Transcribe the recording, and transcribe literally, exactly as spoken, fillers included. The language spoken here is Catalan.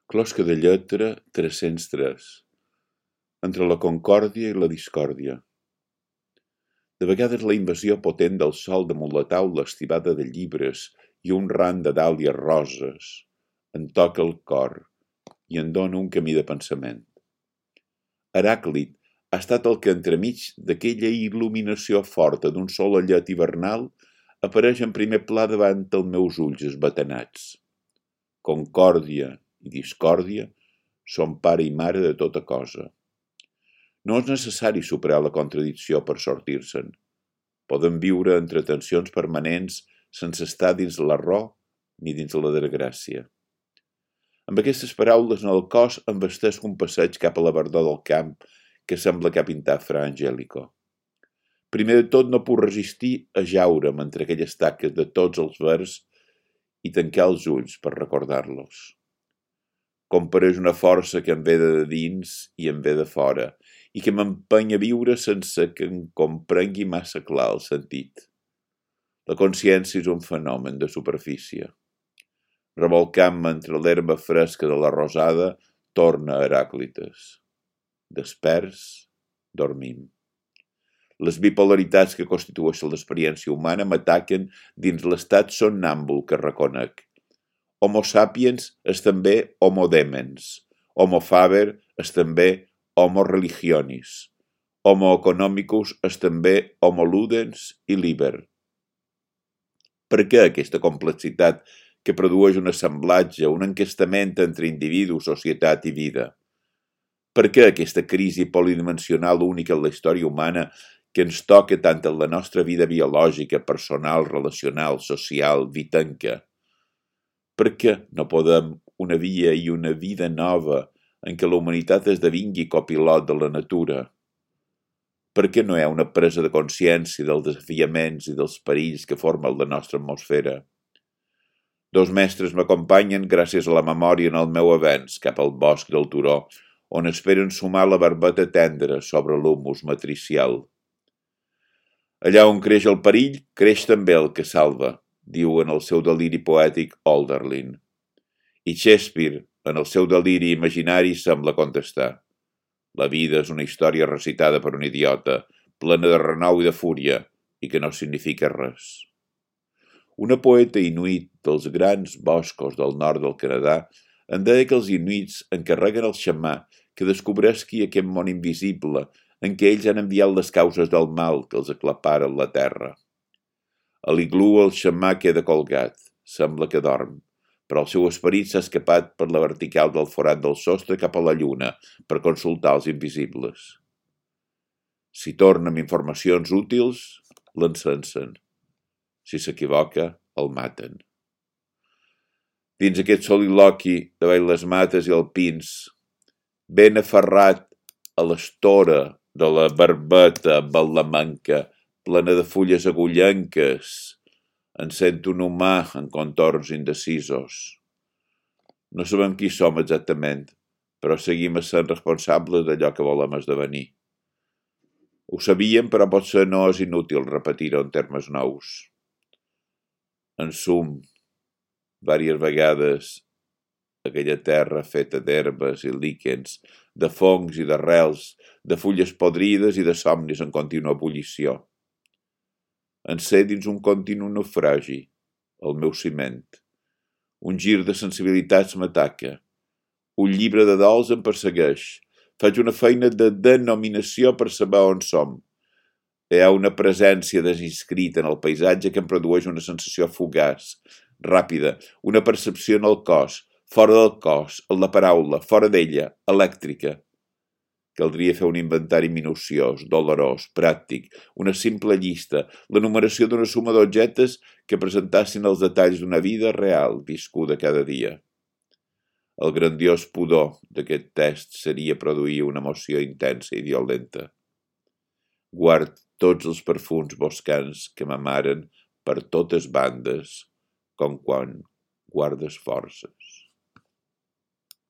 Closca de lletra tres-cents tres. Entre la concòrdia i la discòrdia. De vegades la invasió potent del sol damunt la taula estivada de llibres i un ram de dàlies roses em toca el cor i em dóna un camí de pensament. Heràclit ha estat el que entremig d'aquella il·luminació forta d'un sol allet hivernal apareix en primer pla davant els meus ulls esbatanats. Concòrdia i discòrdia són pare i mare de tota cosa. No és necessari superar la contradicció per sortir-se'n. Poden viure entre tensions permanents sense estar dins la raó ni dins la desgràcia. Amb aquestes paraules en el cos em vesteix un passeig cap a la verdor del camp que sembla que ha pintat Fra Angelico. Primer de tot no puc resistir a jaure'm entre aquelles taques de tots els vers i tancar els ulls per recordar-los. Compareix una força que em ve de dins i em ve de fora i que m'empeny a viure sense que em comprengui massa clar el sentit. La consciència és un fenomen de superfície. Revolcant-me entre l'herba fresca de la rosada, torna a Heràclites. Desperts, dormim. Les bipolaritats que constitueixen l'experiència humana m'ataquen dins l'estat somnàmbul que reconec. Homo sapiens és també homo demens. Homo faber és també homo religionis. Homo economicus és també homo ludens i liber. Per què aquesta complexitat que produeix un assemblatge, un enquestament entre individu, societat i vida? Per què aquesta crisi polidimensional única en la història humana que ens toca tant en la nostra vida biològica, personal, relacional, social, vitanca? Per què no podem una via i una vida nova en què la humanitat esdevingui copilot de la natura? Per què no hi ha una presa de consciència dels desafiaments i dels perills que formen la nostra atmosfera? Dos mestres m'acompanyen gràcies a la memòria en el meu avenç cap al bosc del turó, on esperen sumar la barbeta tendra sobre l'humus matricial. Allà on creix el perill, creix també el que salva, diu en el seu deliri poètic Hölderlin. I Shakespeare, en el seu deliri imaginari, sembla contestar. La vida és una història recitada per un idiota, plena de renou i de fúria, i que no significa res. Una poeta inuit dels grans boscos del nord del Canadà em deia que els inuits encarreguen al xamà que descobresqui aquest món invisible en què ells han enviat les causes del mal que els aclaparen la terra. A l'iglú el xamà queda colgat, sembla que dorm, però el seu esperit s'ha escapat per la vertical del forat del sostre cap a la lluna per consultar els invisibles. Si torna amb informacions útils, l'encensen. Si s'equivoca, el maten. Dins aquest soliloqui davall les mates i els pins, ben aferrat a l'estora de la barbeta ballamanca, plena de fulles agullenques, en sento un humà en contorns indecisos. No sabem qui som exactament, però seguim essent responsables d'allò que volem esdevenir. Ho sabíem, però potser no és inútil repetir-ho en termes nous. En sum, vàries vegades, aquella terra feta d'herbes i líquens, de fongs i d'arrels, de fulles podrides i de somnis en contínua ebullició. En sé dins un continu naufragi, el meu ciment. Un gir de sensibilitats m'ataca. Un llibre de dols em persegueix. Faig una feina de denominació per saber on som. Hi ha una presència desinscrita en el paisatge que em produeix una sensació fugaç, ràpida, una percepció en el cos, fora del cos, en la paraula, fora d'ella, elèctrica. Caldria fer un inventari minuciós, dolorós, pràctic, una simple llista, l'enumeració d'una suma d'objectes que presentassin els detalls d'una vida real viscuda cada dia. El grandiós pudor d'aquest test seria produir una emoció intensa i violenta. Guard tots els perfums boscans que m'amaren per totes bandes, com quan guardes forces.